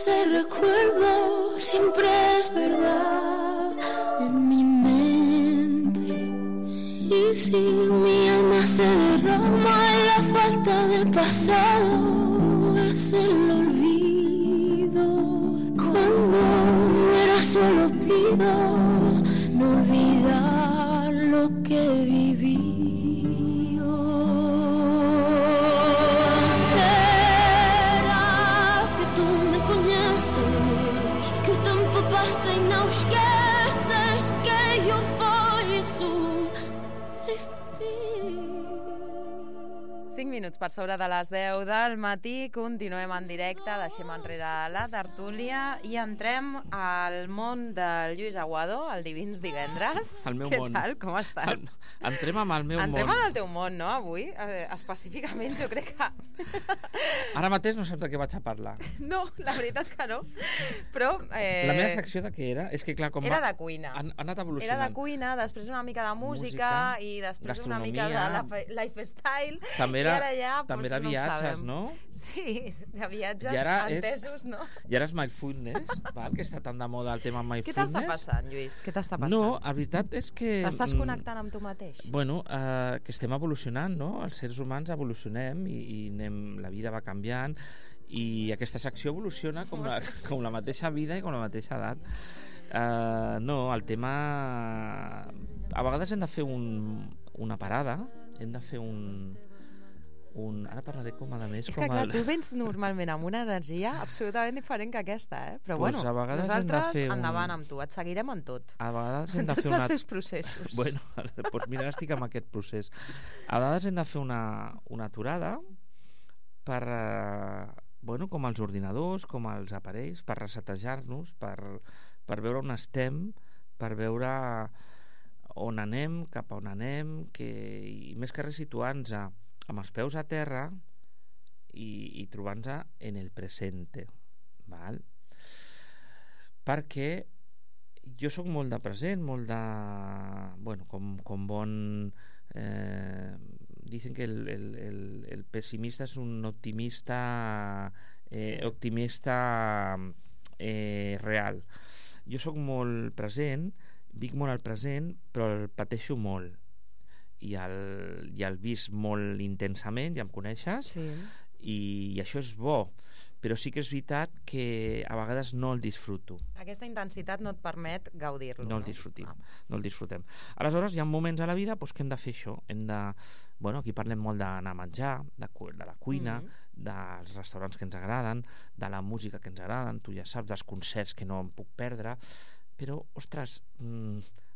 ese recuerdo siempre es verdad en mi mente. Y si mi alma se derrama y la falta del pasado es el olvido, cuando muera solo pido no olvidar lo que viví. Será que tu me conheces, que o tempo passa e não esqueces que eu fui 5 minuts per sobre de les 10 del matí, continuem en directe, deixem enrere la tertúlia i entrem al món del Lluís Aguado, el Divins Divendres. El meu món. Què tal? Com estàs? Entrem amb el meu món. Entrem en el teu món, no, avui? Específicament, jo crec que... Ara mateix no saps de què vaig a parlar. No, la veritat que no. Però... La meva secció de què era? És que clar, com era de cuina. Ha anat evolucionant. Era de cuina, després una mica de música i després una mica de lifestyle. També era, ja, també era no viatges, no? Sí, de viatges entesos, no? I ara és mindfulness, val? Que està tan de moda el tema mindfulness. Què t'està passant, Lluís? Què t'està passant? No, la veritat és que... T'estàs connectant amb tu mateix? Bueno, que estem evolucionant, no? Els seres humans evolucionem i la vida va canviant i aquesta secció evoluciona com la mateixa vida i com la mateixa edat. No, el tema... A vegades hem de fer una parada, hem de fer ara parlaré com a més... És que clar, tu vens normalment amb una energia absolutament diferent que aquesta, però pues bueno, a vegades nosaltres endavant amb tu, et seguirem en tot. A vegades hem de fer tots els teus processos. Bueno, doncs mira, estic amb aquest procés. A vegades hem de fer una aturada per, bueno, com els ordinadors, com els aparells, per resetejar-nos, per veure on estem, per veure on anem, cap a on anem, i més que res situar-nos amb els peus a terra i trobant-nos en el presente, val? Perquè jo sóc molt de present, molt de... Bueno, com bon... dicen que el pessimista és un optimista real. Jo sóc molt present, vic molt al present, però el pateixo molt i el visc molt intensament, ja em coneixes, sí. I això és bo, però sí que és veritat que a vegades no el disfruto. Aquesta intensitat no et permet gaudir-lo, no? No el disfrutem. Aleshores hi ha moments a la vida que hem de fer això, bueno, aquí parlem molt d'anar a menjar, de la cuina, dels restaurants que ens agraden, de la música que ens agraden, tu ja saps, dels concerts que no em puc perdre, però, ostres,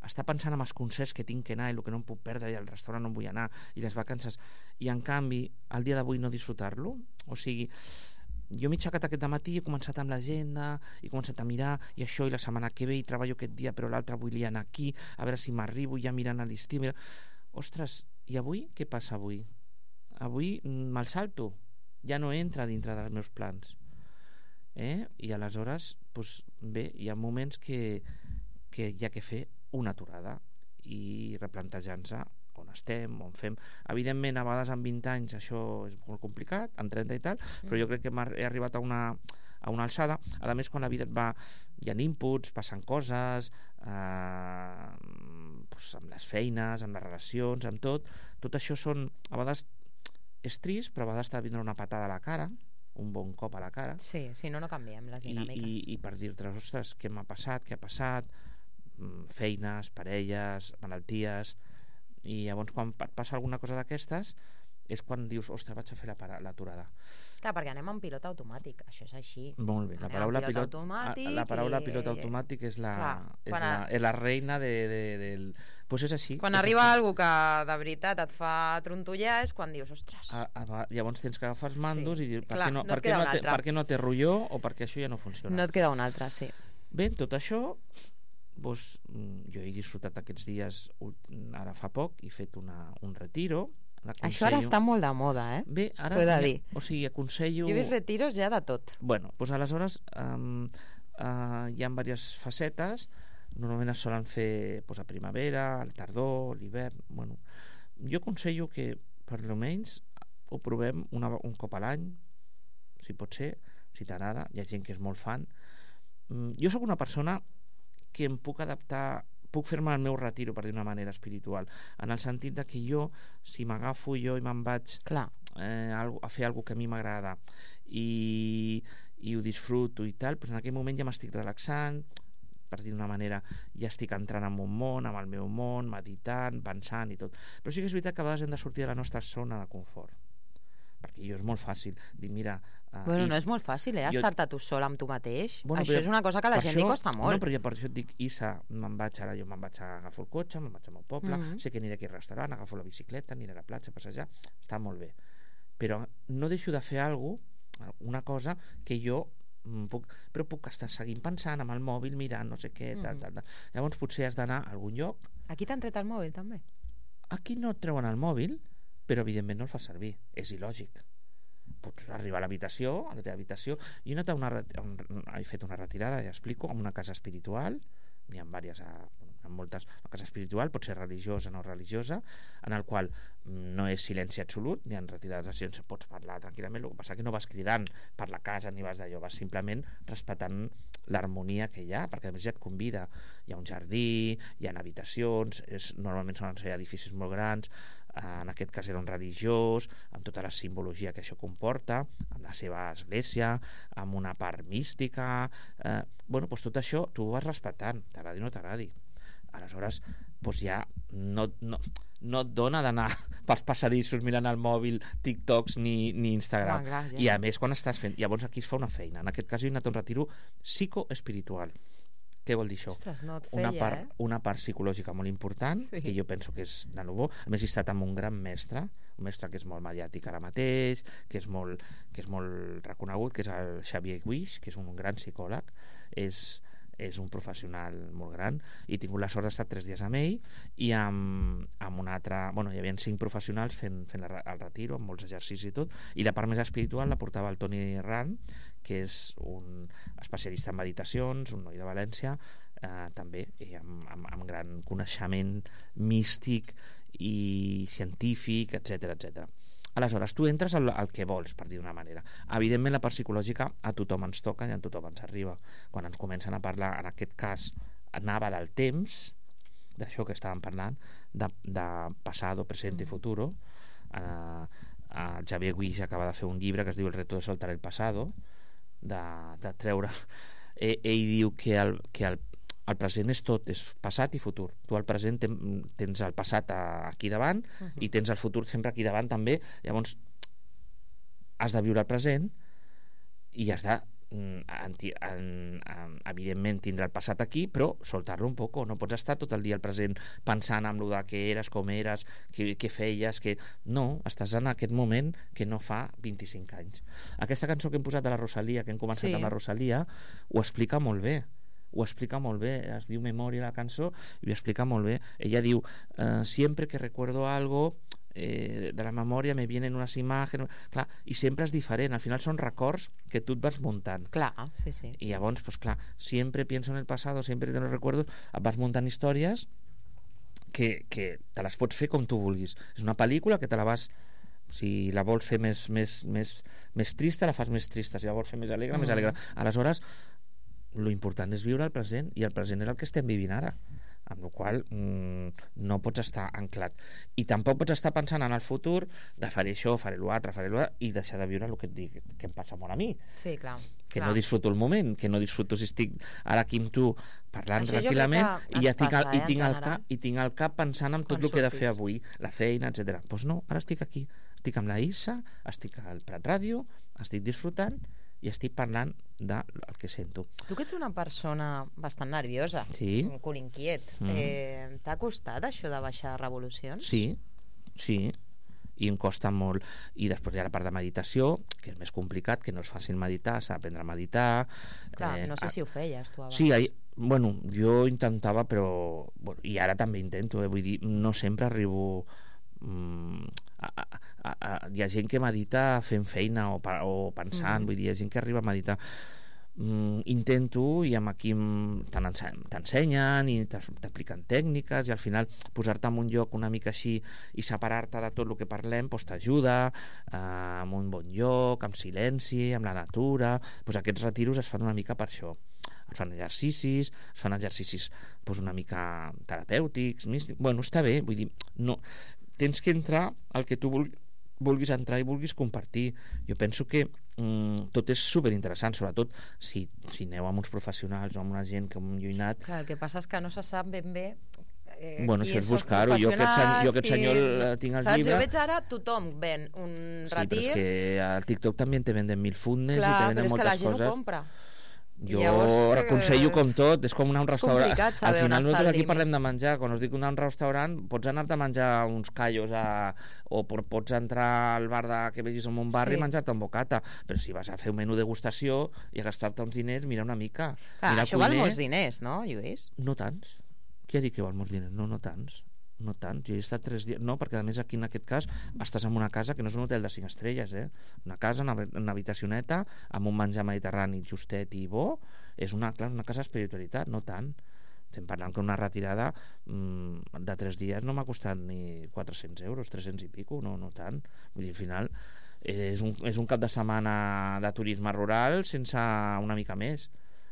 està pensant en els concerts que tinc que anar i el que no em puc perdre i al restaurant no em vull anar i les vacances, i en canvi el dia d'avui no disfrutar-lo. O sigui, jo m'he aixecat aquest matí, he començat amb l'agenda, he començat a mirar i això, i la setmana que ve i treballo aquest dia però l'altre vull anar aquí, a veure si m'arribo ja mirant a l'estiu. Ostres, i avui? Què passa avui? Avui me'l salto, ja no entra dintre dels meus plans. I aleshores, doncs, bé, hi ha moments que hi ha que fer una aturada i replantejar-nos on estem, on fem. Evidentment, a vegades amb 20 anys això és molt complicat, amb 30 i tal, però jo crec que he arribat a una alçada. A més, quan la vida hi ha inputs, passen coses, doncs amb les feines, amb les relacions, amb tot això són, a vegades és trist, però a vegades t'ha de vindre una patada a la cara, un bon cop a la cara. Sí, si no canviem les dinàmiques. I per dir-te, ostres, què m'ha passat, què ha passat, feines, parelles, malalties, i llavors quan passa alguna cosa d'aquestes és quan dius, ostres, vaig a fer l'aturada. Clar, perquè anem en pilot automàtic, això és així. Molt bé, la paraula pilot automàtic és la reina del... Doncs és així. Quan arriba algú que de veritat et fa trontollar és quan dius, ostres... Llavors tens que agafar els mandos i dir, per què no té rotlló o perquè això ja no funciona. No et queda un altre, sí. Bé, tot això... Doncs, jo he disfrutat aquests dies ara fa poc, he fet un retiro. Això ara està molt de moda, Bé, ara t'ho he de dir. O sigui, aconsello... Jo he vist retiros ja de tot. Bueno, doncs aleshores hi ha diverses facetes. Normalment es solen fer a primavera, al tardor, l'hivern. Bueno, jo aconsello que per almenys ho provem un cop a l'any, si pot ser, si t'agrada, hi ha gent que és molt fan. Jo sóc una persona que em puc adaptar, puc fer-me el meu retiro, per dir una manera espiritual, en el sentit de que jo, si m'agafo jo i me'n vaig a fer alguna que a mi m'agrada i ho disfruto i tal, doncs en aquell moment ja m'estic relaxant, per dir d'una manera, ja estic entrant en un món, amb el meu món, meditant, pensant i tot. Però sí que és veritat que a vegades hem de sortir de la nostra zona de confort, perquè jo és molt fàcil dir, mira... Bueno, no és molt fàcil, estar-te tu sol amb tu mateix. Això és una cosa que a la gent li costa molt. No, però per això et dic, Isa, jo me'n vaig a agafar el cotxe, me'n vaig al meu poble, sé que aniré aquí al restaurant, agafo la bicicleta, aniré a la platja a passejar, està molt bé. Però no deixo de fer una cosa que jo puc estar seguint pensant amb el mòbil, mirant no sé què, tal. Llavors potser has d'anar a algun lloc. Aquí t'han tret el mòbil també? Aquí no et treuen el mòbil, però evidentment no el fa servir, és il·lògic. Pots arribar a l'habitació, a la teva habitació. Jo he fet una retirada, ja explico, en una casa espiritual, n'hi ha diverses, en moltes, una casa espiritual pot ser religiosa o no religiosa, en el qual no és silenci absolut, ni en retirades de silenci pots parlar tranquil·lament, el que passa que no vas cridant per la casa ni vas d'allò, vas simplement respectant l'harmonia que hi ha, perquè a més ja et convida, hi ha un jardí, hi ha habitacions, normalment són edificis molt grans, en aquest cas era un religiós, amb tota la simbologia que això comporta, amb la seva església, amb una part mística, doncs tot això tu ho vas respectant, t'agradi o no t'agradi. Aleshores, ja no et dona d'anar pels passadissos mirant el mòbil, TikToks ni Instagram. I a més, quan estàs fent... Llavors aquí es fa una feina. En aquest cas jo he anat a un retiro psicoespiritual. Què vol dir això? Ostres, no et feia, una part psicològica molt important, que jo penso que és de nou bo. A més, he estat amb un gran mestre, un mestre que és molt mediàtic ara mateix, que és molt reconegut, que és el Xavier Guix, que és un gran psicòleg. És un professional molt gran, i he tingut la sort d'estar 3 dies amb ell i amb un altre... Hi havia 5 professionals fent el retiro, amb molts exercicis i tot, i la part més espiritual la portava el Toni Ran, que és un especialista en meditacions, un noi de València, també amb gran coneixement místic i científic, etc. Aleshores, tu entres al que vols, per dir d'una manera. Evidentment, la part psicològica a tothom ens toca i a tothom ens arriba. Quan ens comencen a parlar, en aquest cas, anava del temps, d'això que estàvem parlant, de passado, presente i futuro. El Xavier Guix acaba de fer un llibre que es diu El reto de soltar el pasado, de treure... Ell diu que el present és tot, és passat i futur. Tu al present tens el passat aquí davant i tens el futur sempre aquí davant també. Llavors has de viure el present i has de evidentment tindre el passat aquí, però soltar-lo un poc. No pots estar tot el dia al present pensant en el que eres, com eres, què feies, no, estàs en aquest moment que no fa 25 anys. Aquesta cançó que hem posat de la Rosalia, que hem començat amb la Rosalia, ho explica molt bé. Es diu Memòria la cançó i ho explica molt bé. Ella diu, siempre que recuerdo algo de la memòria me vienen unas imágenes, clar, i sempre és diferent, al final són records que tu et vas muntant. Clar, sí. I llavors, siempre pienso en el pasado, siempre te lo recuerdo, et vas muntant històries que te les pots fer com tu vulguis. És una pel·lícula que te la vas... Si la vols fer més trista, la fas més trista. Si la vols fer més alegre, més alegre. Aleshores, lo important és viure el present, i el present és el que estem vivint ara, amb la qual no pots estar anclat, i tampoc pots estar pensant en el futur de faré això, faré l'altre, i deixar de viure el que et dic, que em passa molt a mi. Sí, clar. No disfruto el moment, que no disfruto si estic ara aquí amb tu parlant tranquil·lament i tinc el cap pensant en tot el que he de fer avui, la feina, etc. Doncs no, ara estic aquí, estic amb la Issa, estic al Prat Ràdio, estic disfrutant i estic parlant del que sento. Tu que ets una persona bastant nerviosa, un cul inquiet, t'ha costat això de baixar revolucions? Sí, i em costa molt. I després hi ha la part de meditació, que és més complicat, que no és fàcil meditar, s'ha d'aprendre a meditar. Clar, no sé si ho feies tu abans. Sí, jo intentava, però... I ara també intento, vull dir, no sempre arribo... hi ha gent que medita fent feina o pensant, vull dir, hi ha gent que arriba a meditar. intento, i amb aquí t'ensenyen i t'apliquen tècniques, i al final posar-te en un lloc una mica així i separar-te de tot el que parlem doncs t'ajuda, en un bon lloc, amb silenci, amb la natura. Doncs aquests retiros es fan una mica per això. Es fan exercicis doncs una mica terapèutics, místics. Bueno, està bé, vull dir, no, tens que entrar al que tu vulguis entrar i vulguis compartir. Jo penso que tot és superinteressant, sobretot si aneu amb uns professionals o amb una gent com jo he anat. Clar, el que passa és que no se sap ben bé bueno, això és buscar-ho. Jo aquest senyor tinc el llibre. Jo veig ara tothom ven un retir. Sí, però és que al TikTok també te venden 1000 fitness i te venden moltes coses. Clar, però és que la gent ho compra. Jo aconsello com tot, és com anar a un restaurant. Al final nosaltres aquí parlem de menjar, quan us dic anar a un restaurant pots anar-te a menjar uns callos o pots entrar al bar que vegis en un barri i menjar-te un bocata, però si vas a fer un menú degustació i a gastar-te uns diners, mira una mica. Això val molts diners, no, Lluís? No tants. Qui ha dit que val molts diners? No tants. No tant, jo he estat 3 dies. No, perquè a més aquí en aquest cas estàs en una casa que no és un hotel de 5 estrelles, una casa, una habitacioneta amb un menjar mediterrani justet i bo. És una casa d'espiritualitat, no tant. Estem parlant que una retirada de 3 dies no m'ha costat ni 400 euros, 300 i pico, no tant. Vull dir, al final és un cap de setmana de turisme rural sense una mica més,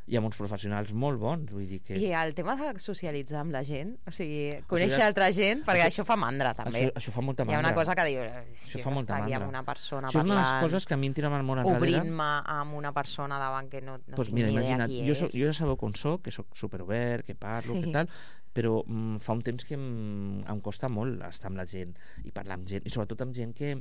i amb uns professionals molt bons, vull dir que... I el tema de socialitzar amb la gent, o sigui, conèixer altra gent, perquè això fa mandra, també. Això fa molta mandra. Hi ha una cosa que diu, si fa molta aquí amb una persona això és una de les coses que a mi em tira molt enrere. Obrint-me amb una persona davant que no tinc ni idea qui és. Jo ja sabeu com soc, que soc superobert, que parlo, que tal, però fa un temps que em costa molt estar amb la gent i parlar amb gent, i sobretot amb gent que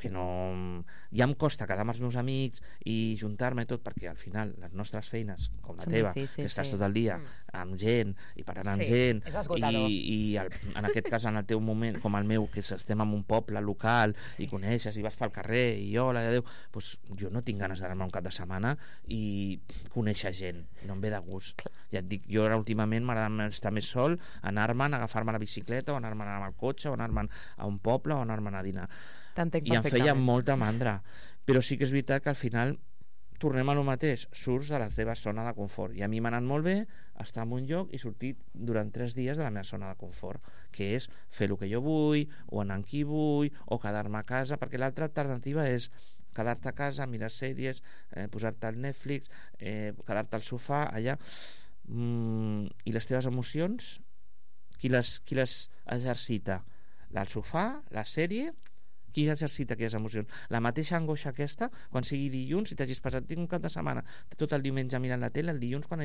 no... Ja em costa quedar amb els meus amics i juntar-me tot, perquè al final les nostres feines, com la teva, que estàs tot el dia amb gent i parlant amb gent, i en aquest cas en el teu moment, com el meu, que estem en un poble local i coneixes i vas pel carrer i hola, adéu, doncs jo no tinc ganes d'anar-me un cap de setmana i conèixer gent, no em ve de gust. Ja et dic, jo ara últimament m'agrada estar més sol, anar-me'n, agafar-me la bicicleta o anar-me'n amb el cotxe o anar-me'n a un poble o anar-me'n a dinar. I em feia molta mandra, però sí que és veritat que al final tornem a lo mateix, surts de la teva zona de confort, i a mi m'ha anat molt bé estar en un lloc i sortir durant 3 dies de la meva zona de confort, que és fer el que jo vull, o anar amb qui vull, o quedar-me a casa, perquè l'altra alternativa és quedar-te a casa, mirar sèries, posar-te al Netflix, quedar-te al sofà allà, i les teves emocions qui les exercita? El sofà, la sèrie? Qui exercita aquelles emocions? La mateixa angoixa aquesta, quan sigui dilluns, si t'hagis passat, tinc un cap de setmana tot el diumenge mirant la tele, el dilluns quan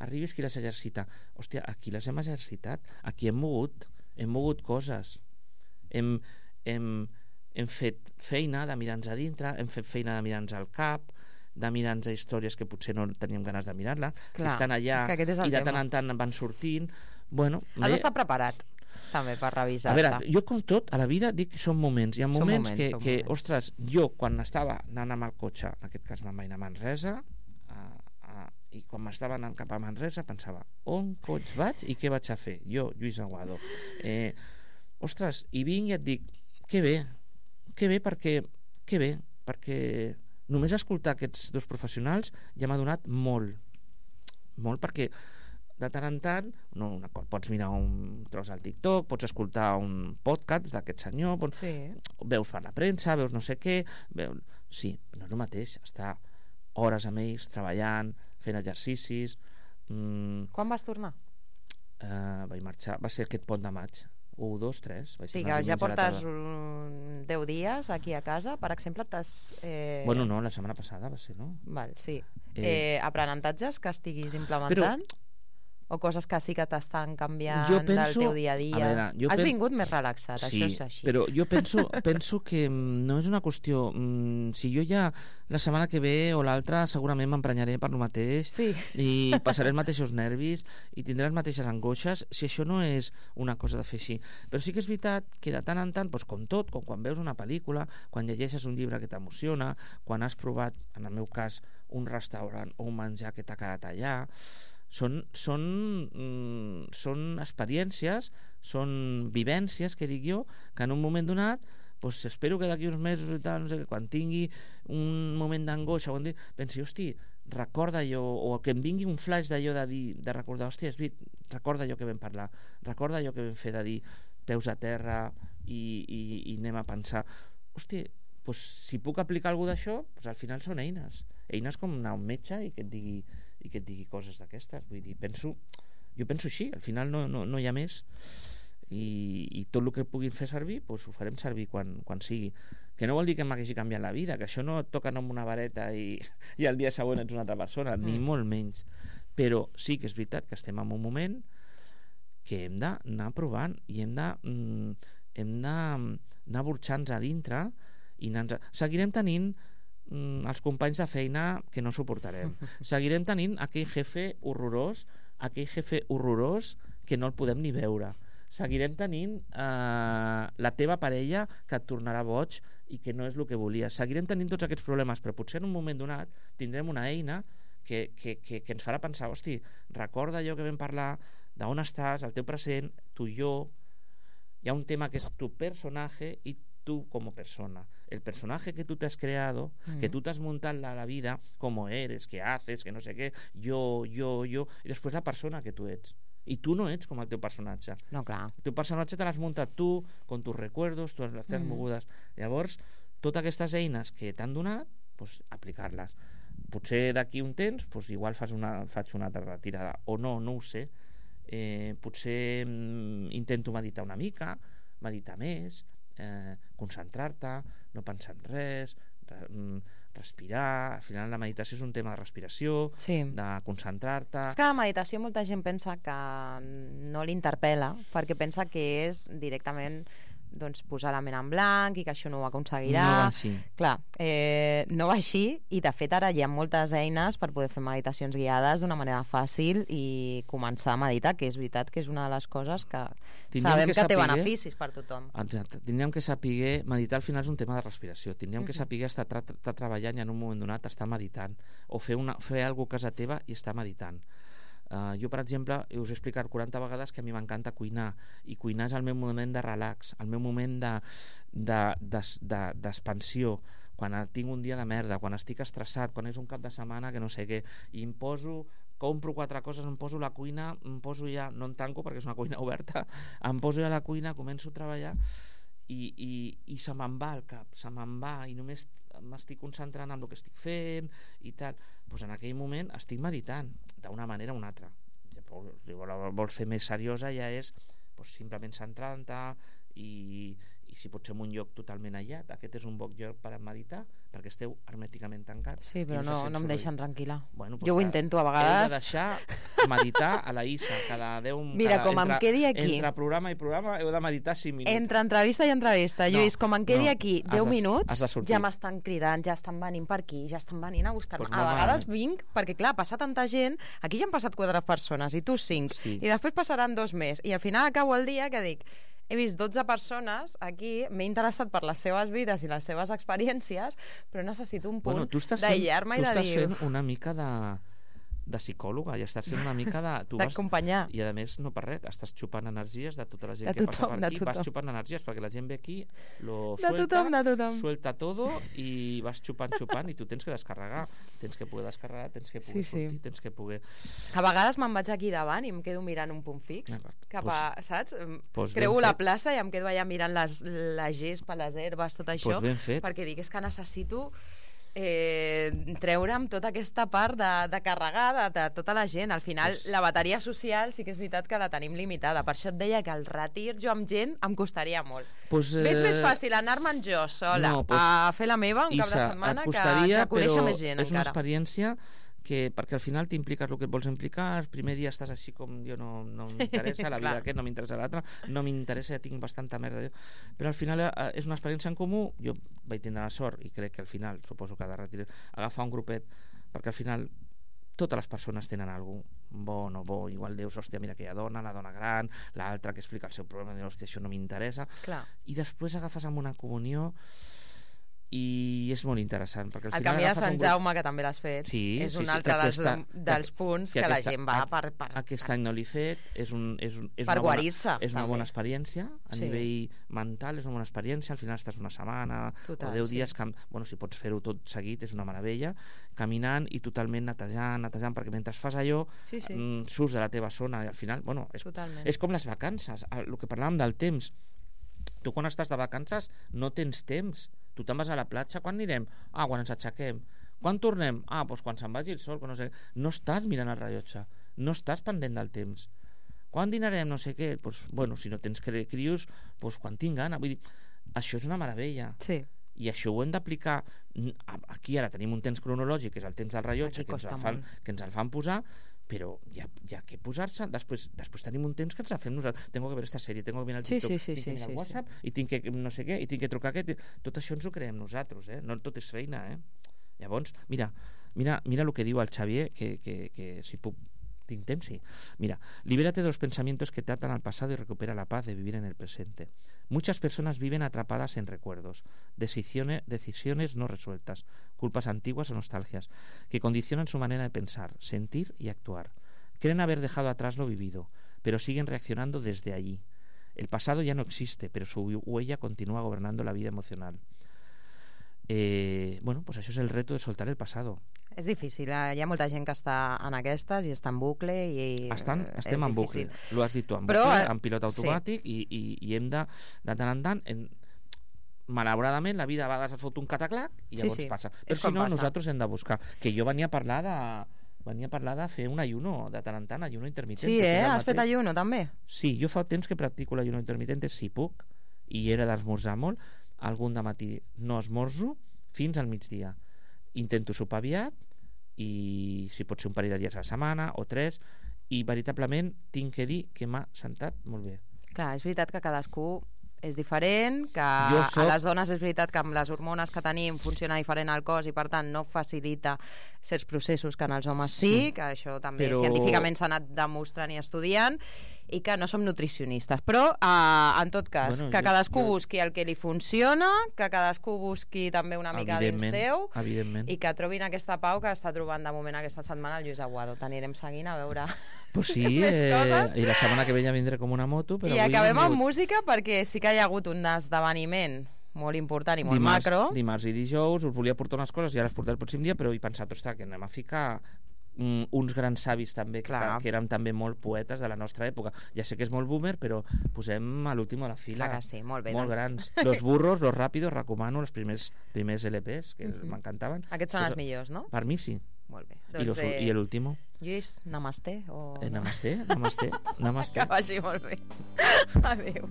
arribis, qui les exercita? Hòstia, aquí les hem exercitat, aquí hem mogut coses, hem fet feina de mirar-nos a dintre, hem fet feina de mirar-nos al cap, de mirar-nos a històries que potser no teníem ganes de mirar-la, que estan allà i de tant en tant van sortint. Bueno, has d'estar preparat també per revisar-te. A veure, jo com tot a la vida dic que són moments. Hi ha moments que ostres, jo quan estava anant amb el cotxe, en aquest cas me'n vaig anar a Manresa, i quan m'estava anant cap a Manresa pensava, on cots vaig i què vaig a fer? Jo, Lluís Aguado. Ostres, i vinc i et dic, que bé perquè només escoltar aquests dos professionals ja m'ha donat molt, perquè de tant en tant pots mirar un tros al TikTok, pots escoltar un podcast d'aquest senyor, veus per la premsa, veus no sé què, sí, no és el mateix estar hores amb ells treballant, fent exercicis. Quan vas tornar? Vaig marxar, va ser aquest pont de maig, 1, 2, 3. Sí, que ja portes 10 dies aquí a casa, per exemple, Bueno, no, la setmana passada va ser, no? Val, sí. Aprenentatges que estiguis implementant? O coses que sí que t'estan canviant del teu dia a dia? Has vingut més relaxat, sí, això és així. Però jo penso que no és una qüestió... Si jo ja la setmana que ve o l'altra segurament m'emprenyaré per lo mateix i passaré els mateixos nervis i tindré les mateixes angoixes, si això no és una cosa de fer així. Però sí que és veritat que de tant en tant, com tot, com quan veus una pel·lícula, quan llegeixes un llibre que t'emociona, quan has provat, en el meu cas, un restaurant o un menjar que t'ha quedat allà, són experiències, són vivències, que dic jo, que en un moment donat espero que d'aquí uns mesos i tal, no sé, quan tingui un moment d'angoixa pensi, hosti, recorda allò, o que em vingui un flash d'allò de dir, de recordar, hòstia, recorda allò que vam parlar, recorda allò que vam fer de dir peus a terra i anem a pensar, hòstia, doncs si puc aplicar alguna d'això, doncs al final són eines com anar a un metge i que et digui coses d'aquestes. Vull dir, jo penso així, al final no hi ha més, i tot el que puguin fer servir doncs ho farem servir quan sigui, que no vol dir que m'hagi canviat la vida, que això no et toca amb una vareta i el dia següent ets una altra persona, ni molt menys, però sí que és veritat que estem en un moment que hem d'anar provant i hem d'anar burxant-nos a dintre i seguirem tenint els companys de feina que no suportarem, seguirem tenint aquell jefe horrorós que no el podem ni veure, seguirem tenint la teva parella que et tornarà boig i que no és el que volies, seguirem tenint tots aquests problemes, però potser en un moment donat tindrem una eina que ens farà pensar, hosti, recorda allò que vam parlar, d'on estàs, el teu present, tu i jo, hi ha un tema que és tu personaje y tú como persona, el personaje que tú te has creado, que tú te has montado la vida, cómo eres, qué haces, que no sé qué, yo, y després la persona que tu ets. I tu no ets com el teu personatge. No, clar. El teu personatge te l'has muntat tu, con tus recuerdos, tus mogudes. Llavors, totes aquestes eines que t'han donat, pues, aplicar-les. Potser d'aquí un temps, pues, igual faig una altra retirada, o no ho sé. Potser intento meditar una mica, meditar més, concentrar-te, no pensar en res, respirar. Al final la meditació és un tema de respiració, de concentrar-te. És que la meditació molta gent pensa que no l'interpel·la perquè pensa que és directament posar la ment en blanc i que això no ho aconseguirà. No va així. Clar, no va així, i de fet ara hi ha moltes eines per poder fer meditacions guiades d'una manera fàcil i començar a meditar, que és veritat que és una de les coses que sabem que té beneficis per tothom. Exacte, tindríem que saber meditar. Al final és un tema de respiració, tindríem que saber estar treballant i en un moment donat estar meditant, o fer alguna cosa a casa teva i estar meditant. Jo, per exemple, us he explicat 40 vegades que a mi m'encanta cuinar, i cuinar és el meu moment de relax, el meu moment d'expansió, quan tinc un dia de merda, quan estic estressat, quan és un cap de setmana que no sé què, i compro 4 coses, em poso a la cuina, no em tanco perquè és una cuina oberta, em poso a la cuina, començo a treballar i se me'n va el cap, se me'n va, i només m'estic concentrant en el que estic fent i tal. Doncs en aquell moment estic meditant d'una manera o una altra. Si vols fer més seriosa ja és simplement centrant-te i si pot ser en un lloc totalment aïllat. Aquest és un bon lloc per meditar perquè esteu hermèticament tancats. Sí, però no em deixen tranquil·la. Bueno, jo ho intento a vegades. Heu de deixar meditar a la Isa cada 10... Mira, com em quedi aquí. Entre programa i programa heu de meditar 5 minuts. Entre entrevista i entrevista. Lluís, com em quedi aquí 10 minuts, ja m'estan cridant, ja estan venint per aquí, ja estan venint a buscar-me. A vegades vinc, perquè clar, passa tanta gent, aquí ja han passat 4 persones i tu 5, i després passaran 2 més, i al final acabo el dia que dic, he vist 12 persones aquí, m'he interessat per les seves vides i les seves experiències, però necessito un punt d'aïllar-me i de dir... Tu estàs fent una mica de psicòloga, i estàs fent una mica d'acompanyar. I a més, no per res, estàs xupant energies de tota la gent que passa per aquí, vas xupant energies perquè la gent ve aquí, suelta todo i vas xupant i tu tens que descarregar, tens que poder descarregar, tens que poder sortir, tens que poder... A vegades me'n vaig aquí davant i em quedo mirant un punt fix, cap a, saps? Creuo la plaça i em quedo allà mirant la gespa, les herbes, tot això, perquè dic, és que necessito treure'm tota aquesta part de carregar de tota la gent. Al final la bateria social sí que és veritat que la tenim limitada, per això et deia que el retir jo amb gent em costaria molt. Veig més fàcil anar-me'n jo sola a fer la meva un cap de setmana que conèixer més gent encara. És una experiència perquè al final t'impliques el que et vols implicar, el primer dia estàs així com jo no m'interessa la vida aquest, no m'interessa l'altre, no m'interessa, ja tinc bastanta merda, però al final és una experiència en comú. Jo vaig tindre la sort, i crec que al final suposo que ha de retirar, agafar un grupet, perquè al final totes les persones tenen alguna cosa bo o no bo, igual dius, hòstia, mira aquella dona, la dona gran, l'altra que explica el seu problema, dius, hòstia, això no m'interessa, i després agafes amb una comunió i és molt interessant, perquè al El final Camí de Sant Jaume, que també l'has fet, és un altre dels punts que la gent va per... Aquest any no l'he fet, és per guarir-se. És una bona experiència, a nivell mental és una bona experiència, al final estàs una setmana o 10 dies, si pots fer-ho tot seguit, és una meravella, caminant i totalment netejant, perquè mentre fas allò surts de la teva zona i al final, és com les vacances, el que parlàvem del temps. Tu quan estàs de vacances no tens temps. Tu te'n vas a la platja, quan anirem? Quan ens aixequem. Quan tornem? Doncs quan se'n vagi el sol. No estàs mirant el rellotge, no estàs pendent del temps. Quan dinarem? No sé què. Si no tens crios, quan tinc gana. Vull dir, això és una meravella. Sí. I això ho hem d'aplicar. Aquí ara tenim un temps cronològic, que és el temps del rellotge, que ens el fan posar, però hi ha que posar-se. Després tenim un temps que ens la fem nosaltres. Tengo que ver esta sèrie, tengo que mirar el TikTok, tinc que mirar el WhatsApp, i tinc que no sé què, i tinc que trucar aquest. Tot això ens ho creem nosaltres, no tot és feina, Llavors, mira el que diu el Xavier, que si puc... ¿Tinc temps? Sí. Mira, libérate de los pensamientos que te atan al pasado y recupera la paz de vivir en el presente. Muchas personas viven atrapadas en recuerdos, decisiones no resueltas, culpas antiguas o nostalgias, que condicionan su manera de pensar, sentir y actuar. Creen haber dejado atrás lo vivido, pero siguen reaccionando desde allí. El pasado ya no existe, pero su huella continúa gobernando la vida emocional. Això és el reto de soltar el passado. És difícil, hi ha molta gent que està en aquestes i està en bucle i estem en bucle, l'ho has dit tu, en bucle, en pilot automàtic, i hem de tant en tant, malauradament la vida a vegades et fot un cataclac i llavors passa, però si no nosaltres hem de buscar, que jo venia a parlar de fer un ayuno de tant en tant, ayuno intermitent. Sí, has fet ayuno també? Sí, jo fa temps que practico l'ayuno intermitent, si puc, i era d'esmorzar molt. Algun de matí no esmorzo fins al migdia. Intento sopar aviat i si pot ser un parell de dies a la setmana o 3, i veritablement tinc que dir que m'ha sentat molt bé. Clar, és veritat que cadascú és diferent, que a les dones és veritat que amb les hormones que tenim funciona diferent al cos i per tant no facilita certs processos que en els homes sí, que això també científicament s'ha anat demostrant i estudiant, i que no som nutricionistes, però en tot cas, que cadascú busqui el que li funciona, que cadascú busqui també una mica dins seu, i que trobin aquesta pau que està trobant de moment aquesta setmana el Lluís Aguado. T'anirem seguint a veure més coses. I la setmana que ve ja vindré com una moto. I acabem amb música, perquè sí que hi ha hagut un esdeveniment molt important i molt macro. Dimarts i dijous us volia portar unes coses i ara les portaré el pròxim dia, però he pensat, ostres, que anem a ficar uns grans savis també, que eren també molt poetes de la nostra època. Ja sé que és molt boomer, però posem a l'últim a la fila. Clar que sí, molt bé. Molt grans. Los burros, los rápidos, recomano els primers LPs, que m'encantaven. Aquests són els millors, no? Per mi sí. Molt bé. I l'último? Lluís, namasté? Namasté. Que vagi molt bé. Adéu.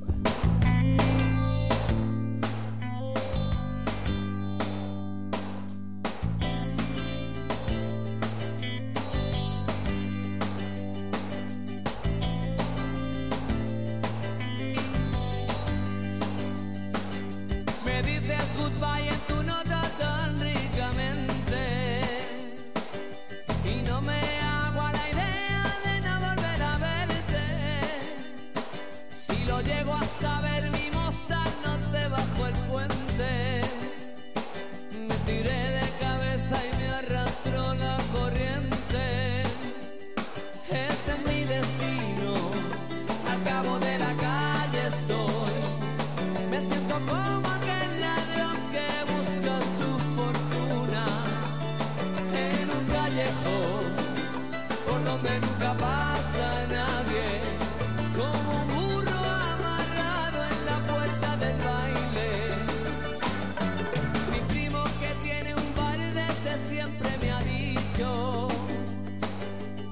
Goodbye en tu nota tan ricamente y no me hago a la idea de no volver a verte. Si lo llego a saber, mi moza, no te bajo el puente. Me tiré de cabeza y me arrastró la corriente. Este es mi destino, al cabo de la calle estoy. Me siento como por donde nunca pasa nadie, como un burro amarrado en la puerta del baile. Mi primo que tiene un bar desde siempre me ha dicho,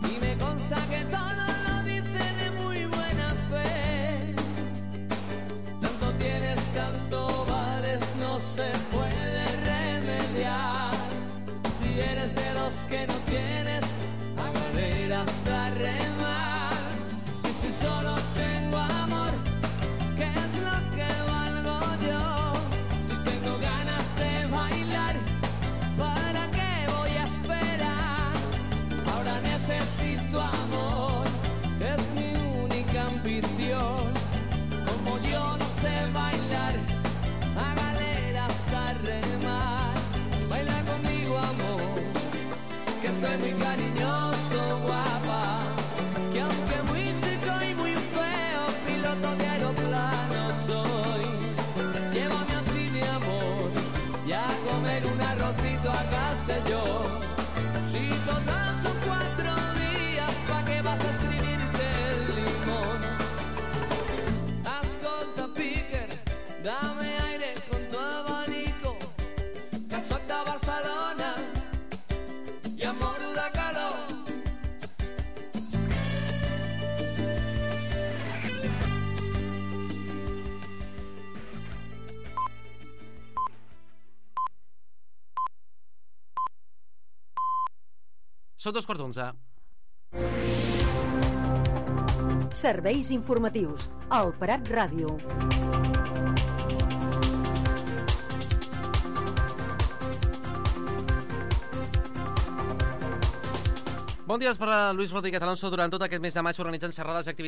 y me consta que todo lo dice de muy buena fe. Tanto tienes, tanto vales, no se puede remediar. Si eres de los que no tienes, a galeras a remar. Y si solo tengo amor, ¿qué es lo que valgo yo? Si tengo ganas de bailar, ¿para qué voy a esperar? Ahora necesito amor, es mi única ambición. Como yo no sé bailar, a galeras a remar. Són 2:15. Serveis informatius. El Prat Ràdio. Bon dia per a Luis Rodríguez Alonso. Durant tot aquest mes de maig organitzen xerrades i activitats